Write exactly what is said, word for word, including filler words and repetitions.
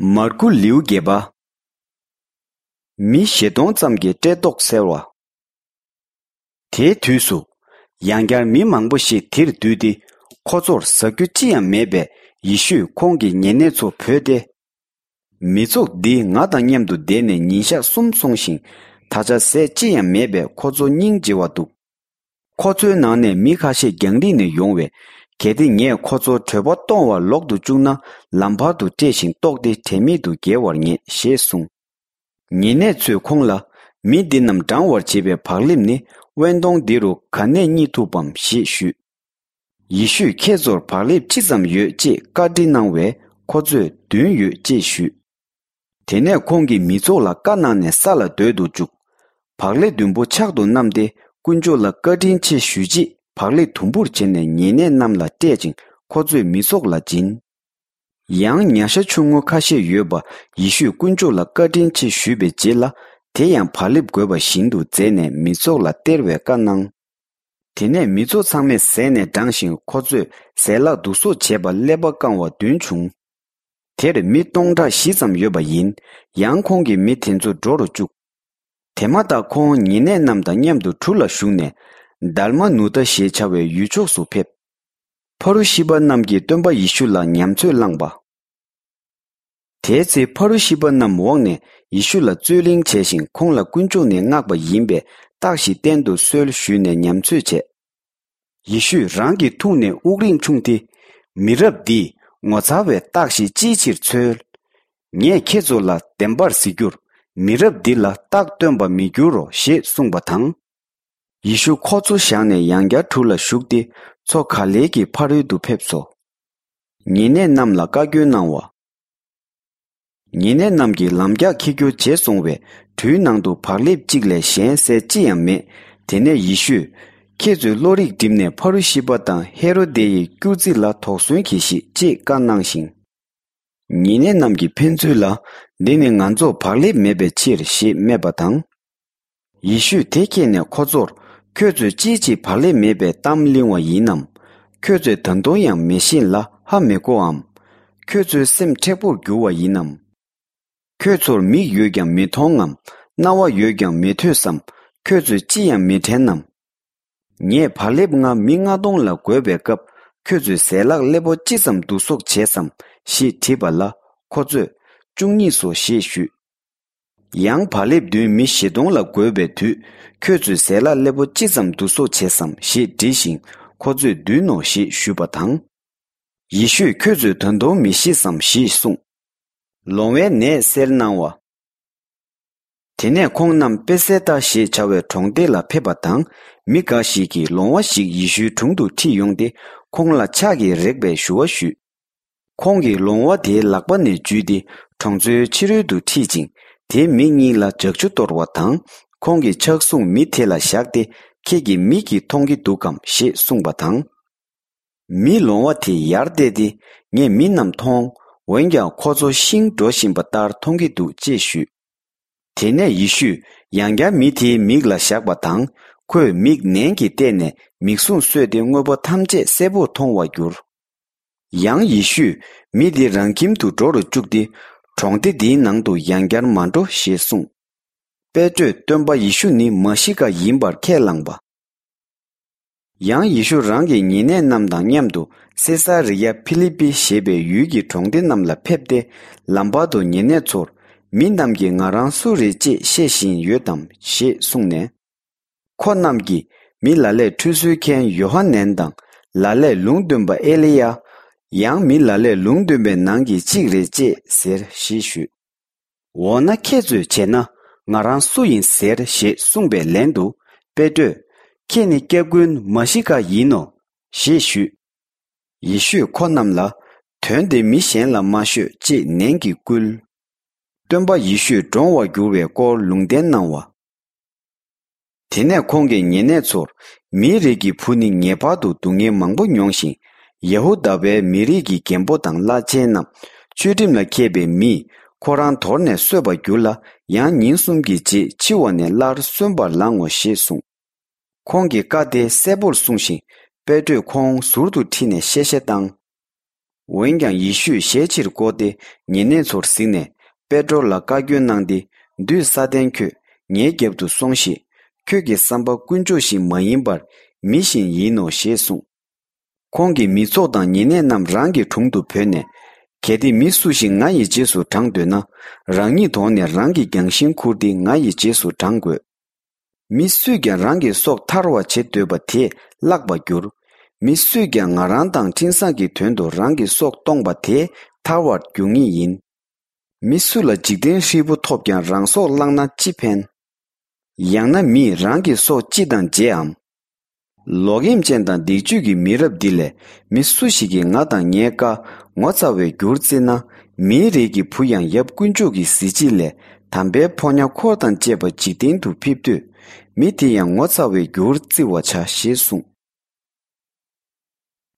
མར་ཁུ་ལེའུ་བརྒྱད་པ། མི་བཞི་སྟོང་ཙམ་གྱི་བཀྲེས་ལྟོགས་སེལ་བ། དེའི་དུས་སུ། ཡང་བསྐྱར་མི་མང་པོ་ཞིག་དེར་འདུས་ཏེ། ཁོ་ཚོར་ཟ་རྒྱུ་ཅི་ཡང་མེད་པས། ཡེ་ཤུས་ཁོང་གི་ཉེ་གནས་ཚོ་བོས་ཏེ། མི་ཚོགས་འདི་ང་དང་མཉམ་དུ་བསྡད་ནས་ཉིན་ཞག་གསུམ་སོང་ཞིང་། ད་ཆ་ཟས་ཅི་ཡང་མེད་པས། ཁོ་ཚོ་སྙིང་རྗེ་བ་འདུག་ཁོ་ཚོའི་ནང་ནས་མི་ཁ་ཤས་རྒྱང་རིང་ནས་ཡོང་བས། གལ་ཏེ་ངས་ཁོ་ཚོར་བྲོས་པ་གཏོང་བར་ལོག་ཏུ་བཅུག་ན། ལམ་བར་དུ་བཀྲེས་ཤིང་ལྟོགས་ཏེ་དྲན་མེད་དུ་འགྱེལ་བར་ངེས། ཞེས་གསུངས། ཉེ་གནས་ཚོས་ཁོང་ལ། མི་འདི་རྣམས་འགྲང་བར་བྱེད་པའི་བག་ལེབ་ནི། དབེན་སྟོང་འདི་རུ་ག་ནས་རྙེད་ཐུབ་བམ། ཞེས་ཞུས། ཡེ་ཤུས་ཁྱེད་ཚོར་བག་ལེབ་ཅི་ཙམ་ཡོད་ཅེས་བཀའ་འདྲི་གནང་བས། ཁོ་ཚོས་བདུན་ཡོད་ཅེས་ཞུས། དེ་ནས་ཁོང་གིས་མི་ཚོགས་ལ་བཀའ་གནང་ནས་ས་ལ་སྡོད་དུ་བཅུག་བག་ལེབ་བདུན་པོ་ཕྱག་ཏུ་བསྣམས་ཏེ། དཀོན་མཆོག་ལ་བཀའ་དྲིན་ཆེ་ཞུས་རྗེས། བག་ལེབ་དུམ་བུར་བྱས་ནས་ཉེ་གནས་རྣམས་ལ་སྤྲད་ཅིང་། ཁོ་ཚོས་མི་ཚོགས་ལ་སྦྱིན། ཡང་ཉ་ཤ་ཆུང་ངུ་ཁ་ཤས་ཡོད་པ། ཡེ་ཤུས་དཀོན་མཆོག་ལ་བཀའ་དྲིན་ཆེ་ཞུས་པའི་རྗེས་ལ། དེ་ཡང་བག་ལེབ་བགོས་པ་བཞིན་དུ་མཛད་ནས་མི་ཚོགས་ལ་སྟེར་བའི་བཀའ་གནང་། དེ་ནས་མི་ཚོགས་ཚང་མས་ཟས་ནས་འགྲངས་ཤིང་། ཁོ་ཚོས་ཟས་ལྷག་བསྡུ་གསོག་བྱས་པ་ཀླད་པ་བཀང་བ་བདུན་བྱུང་། དེར་མི་སྟོང་ཕྲག་བཞི་ཙམ་ཡོད་པ་ཡིན། ཡང་ཁོང་གིས་མི་དེ་ཚོ་འགྲོ་རུ་བཅུག་དེ་མ་ཐག་ཁོང་ཉེ་གནས་རྣམས་དང་མཉམ་དུ་གྲུ་ལ་ཞུགས་ནས། དཱལ་མ་ནུ་ཏ་ཞེས་བྱ་བའི་ཡུལ་ཕྱོགས་སུ་ཕེབས། ཕ་རུ་ཤི་པ་རྣམས་ཀྱིས་སྟོན་པ་ཡེ་ཤུ་ལ་ཉམས་ཚོད་བླངས་པ། དེའི་ཚེ་ཕ་རུ་ཤི་པ་རྣམས་འོངས་ནས་ཡེ་ཤུ་ལ་རྩོད་གླེང་བྱས་ཤིང་། ཁོང་ལ་དཀོན་མཆོག་ནས་མངགས་པ་ཡིན་པས་རྟགས་ཤིག་བསྟན་དུ་གསོལ་ཞུས་ནས་ཉམས་ཚོད་བྱས། ཡེ་ཤུས་རང་གི་ཐུགས་ནས་དབུགས་རིང་ཕྱུང་སྟེ། མི་རབས་འདིས་ངོ་མཚར་བའི་རྟགས་ཤིག་ཅིའི་ཕྱིར་འཚོལ། ངས་ཁྱེད་ཚོ་ལ་བདེན་པར་ཟེར་རྒྱུར། མི་རབས་འདི་ལ་རྟགས་སྟོན་པ་མི་འགྱུར་རོ། ཞེས་གསུངས་པ་དང་། ཡེ་ཤུ་ཁོ་ཚོ་བཞག་ནས་ཡང་བསྐྱར་གྲུ་ལ་ཞུགས་ཏེ། མཚོ་ག་ལེ་གི་ཕ་རོལ་དུ་ཕེབས་སོ། ཉེ་གནས་རྣམས་ལ་བཀའ་བཀྱོན་གནང་བ། ཉེ་གནས་རྣམས་ཀྱིས་ལམ་རྒྱགས་འཁྱེར་རྒྱུ་བརྗེད་སོང་བས། གྲུའི་ནང་དུ་བག་ལེབ་གཅིག་ལས་གཞན་ཟས་ཅི་ཡང་མེད། དེ་ནས་ཡེ་ཤུས། ཁྱེད་ཚོས་བློ་རིག་བསྒྲིམས་ནས་ཕ་རུ་ཤི་པ་དང་ཧེ་རོ་དེ་ཡི་སྐྱུར་རྩི་ལ་དོགས་ཟོན་གྱིས་ཤིག་ཅེས་བཀའ་གནང་ཞིང་། ཉེ་གནས་རྣམས་ཀྱིས་ཕན་ཚུན་ལ། འདི་ནི་ང་ཚོར་བག་ལེབ་མེད་པའི་ཕྱིར། ཞེས་སྨྲས་པ་དང་། ཡེ་ཤུས་དེ་མཁྱེན་ནས་ཁོ་ཚོར། ཁྱོད་ཚོས་ཅིའི་ཕྱིར་བག་ལེབ་མེད་པའི་གཏམ་གླེང་བ་ཡིན་ནམ། ཁྱོད་ཚོས་ད་དུང་ཡང་མི་ཤེས་ལ་ཧ་མི་གོའམ། ཁྱོད་ཚོའི་སེམས་མཁྲེགས་པོར་འགྱུར་བ་ཡིན་ནམ། ཁྱོད་ཚོར་མིག་ཡོད་ཀྱང་མི་མཐོང་ངམ། རྣ་བ་ཡོད་ཀྱང་མི་ཐོས་སམ། ཁྱོད་ཚོས་ཅི་ཡང་མི་དྲན་ནམ། ངས་བག་ལེབ་ལྔ་མི་ལྔ་སྟོང་ལ་བགོས་པའི་སྐབས། ཁྱོད་ཚོས་ཟས་ལྷག་སླེ་པོ་ཅི་ཙམ་བསྡུ་གསོག་བྱས་སམ། ཞེས་དྲིས་པ་ལ། ཁོ་ཚོས། བཅུ་གཉིས་སོ། ཞེས་ཞུས། ཡང་བག་ལེབ་བདུན་མི་བཞི་སྟོང་ལ་བགོས་པའི་དུས། ཁྱོད་ཚོས་ཟས་ལྷག་སླེ་པོ་ཅི་ཙམ་བསྡུ་གསོག་བྱས་སམ། ཞེས་དྲིས་ཤིང་། ཁོ་ཚོས་བདུན་ནོ། ཞེས་ཞུས་པ་དང་། ཡེ་ཤུས་ཁྱོད་ཚོས་ད་དུང་མི་ཤེས་སམ། ཞེས་གསུངས། ལོང་བའི་ནད་སེལ་གནང་བ། དེ་ནས་ཁོང་རྣམས་པེ་སེ་ཏ་ཞེས་བྱ་བའི་གྲོང་སྡེ་ལ་ཕེབས་པ་དང་། མི་འགའ་ཞིག་གིས་ལོང་བ་ཞིག་ཡེ་ཤུའི་དྲུང་དུ་ཁྲིད་ཡོང་སྟེ། ཁོང་ལ་ཕྱག་གིས་རེག་པའི་ཞུ་བ་ཞུས། ཁོང་གིས་ལོང་བ་དེའི་ལག་པ་ནས་འཇུས་ཏེ། གྲོང་ཚོའི་ཕྱི་རོལ་དུ་ཁྲིད་ཅིང་། དེའི་མི་གཉིས་ལ་ལྗགས་ཆུ་གཏོར་བ་དང་། ཁོང་གི་ཕྱག་ཟུང་མི་དེ་ལ་བཞག་སྟེ། ཁྱེད་ཀྱིས་མིག་གིས་མཐོང་གི་འདུག་གམ། ཞེས་གསུངས་པ་དང་། མིས་ལོང་བ་དེ་ཡར་བལྟས་ཏེ། ངས་མི་རྣམས་མཐོང་། འོན་ཀྱང་ཁོ་ཚོ་ཤིང་འགྲོ་བཞིན་པ་ལྟར་མཐོང་གི་འདུག་ཅེས་ཞུས། དེ་ནས་ཡེ་ཤུས་ཡང་བསྐྱར་མི་དེའི་མིག་ལ་བཞག་པ་དང་། ཁོས་མིག་ནན་གྱིས་བལྟས་ནས། མིག་ཟུང་གསོས་ཏེ། དངོས་པོ་ཐམས་ཅད་གསལ་པོར་མཐོང་བར་གྱུར། ཡང་ཡེ་ཤུས་མི་དེ་རང་ཁྱིམ་དུ་འགྲོ་རུ་བཅུག་སྟེ། གྲོང་སྡེ་འདིའི་ནང་དུ་ཡང་བསྐྱར་མ་འགྲོ་ཞེས་གསུངས། པེ་ཏྲོས་སྟོན་པ་ཡེ་ཤུ་ནི་མ་ཤི་ཀ་ཡིན་པར་ཁས་བླངས་པ། ཡང་ཡེ་ཤུ་རང་གི་ཉེ་གནས་རྣམས་དང་མཉམ་དུ། སེ་ས་རི་ཡ་ཕི་ལི་པི་ཞེས་པའི་ཡུལ་གྱི་གྲོང་སྡེ་རྣམས་ལ་ཕེབས་ཏེ། ལམ་བར་དུ་ཉེ་གནས་ཚོར། མི་རྣམས་ཀྱིས་ང་རང་སུ་རེད་ཅེས་བཤད་བཞིན་ཡོད་དམ། ཞེས་གསུངས་ནས། ཁོ་རྣམས་ཀྱིས། མི་ལ་ལས་ཁྲུས་གསོལ་མཁན་ཡོ་ཧ་ནན་དང་། ལ་ལས་ལུང་སྟོན་པ་ཨེ་ལི་ཡ། ཡང་མི་ལ་ལས་ལུང་སྟོན་པའི་ནང་གི་གཅིག་རེད་ཅེས་ཟེར། ཞེས་ཞུས། འོ་ན་ཁྱེད་ཚོས་བྱས་ན། ང་རང་སུ་ཡིན་ཟེར། ཞེས་གསུངས་པའི་ལན་དུ། པེ་ཏྲོས། ཁྱེད་ནི་སྐྱབས་མགོན་མ་ཤི་ཀ་ཡིན་ནོ། ཞེས་ཞུས། ཡེ་ཤུས་ཁོ་རྣམས་ལ། དོན་དེ་མི་གཞན་ལ་མ་ཤོད། ཅེས་ནན་གྱིས་བསྐུལ། སྟོན་པ་ཡེ་ཤུས་འདྲོངས་བར་འགྱུར་བའི་སྐོར་ལུང་བསྟན་གནང་བ། དེ་ནས་ཁོང་གིས་ཉེ་གནས་ཚོར། མིའི་རིགས་ཀྱི་བུ་ནི་ངེས་པར་དུ་སྡུག་བསྔལ་མང་པོ་མྱོང་ཞིང་། ཡ་ཧུ་དཱ་པའི་མི་རིགས་ཀྱི་རྒན་པོ་དང་བླ་ཆེན་རྣམས། ཆོས་ཁྲིམས་ལ་མཁས་པའི་མིས། ཁོ་རང་དོར་ནས་གསོད་པར་འགྱུར་ལ། ཡང་ཉིན་གསུམ་གྱི་རྗེས་འཆི་བ་ནས་སླར་གསོན་པར་ལང་ངོ་། ཞེས་གསུངས། ཁོང་གིས་བཀའ་དེ་གསལ་པོར་གསུངས་ཤིང་། པེ་ཏྲོས་ཁོང་ཟུར་དུ་ཁྲིད་ནས་གཤེ་གཤེ་བཏང་། འོན་ཀྱང་ཡེ་ཤུས་ཞལ་ཕྱིར་བསྐོར་ཏེ་ཉེ་གནས་ཚོར་གཟིགས་ནས། པེ་ཏྲོ་ལ་བཀའ་བཀྱོན་གནང་སྟེ། འདུས་ས་ཏན་ཁྱོད། ངའི་རྒྱབ་ཏུ་སོང་ཞིག། ཁྱོད་ཀྱི་བསམ་པ་དཀོན་མཆོག་བཞིན་མ་ཡིན་པར། མི་བཞིན་ཡིན་ནོ་ཞེས་གསུངས། ཁོང་གིས་མི་ཚོགས་དང་ཉེ་གནས་རྣམས་རང་གི་དྲུང་དུ་བོས་ནས། གལ་ཏེ་མི་སུ་ཞིག་ང་ཡི་རྗེས་སུ་འབྲང་འདོད་ན། རང་ཉིད་དོར་ནས་རང་གི་རྒྱང་ཤིང་ཁུར་ཏེ་ང་ཡི་རྗེས་སུ་འབྲང་དགོས། མི་སུས་ཀྱང་རང་གི་སྲོག་ཐར་བར་བྱེད་འདོད་པ་དེས་བརླག་པར་འགྱུར། མི་སུས་ཀྱང་ང་རང་དང་འཕྲིན་བཟང་གི་དོན་དུ་རང་གི་སྲོག་གཏོང་བ་དེས་ཐར་བར་འགྱུར་ངེས་ཡིན། མི་སུ་ལ་འཇིག་རྟེན་ཧྲིལ་པོ་ཐོབ་ཀྱང་རང་སྲོག་བླངས་ན་ཅི་ཕན། ཡང་ན་མིས་རང་གི་སྲོག་ཅི་དང་བརྗེའམ། ལོག་གཡེམ་ཅན་དང་སྡིག་སྤྱོད་ཀྱི་མི་རབས་འདི་ལས། མི་སུ་ཞིག་གིས་ང་དང་ངའི་བཀའ་ངོ་ཚ་བའི་རྒྱུར་བརྩི་ན། མིའི་རིགས་ཀྱི་བུ་ཡང་ཡབ་དཀོན་མཆོག་གི་གཟི་བརྗིད་ལས་དམ་པའི་ཕོ་ཉ་འཁོར་དང་བཅས་པ་འཇིག་རྟེན་དུ་ཕེབས་དུས། མི་དེ་ཡང་ངོ་ཚ་བའི་རྒྱུར་བརྩི་བར་བྱ་ཞེས་གསུངས།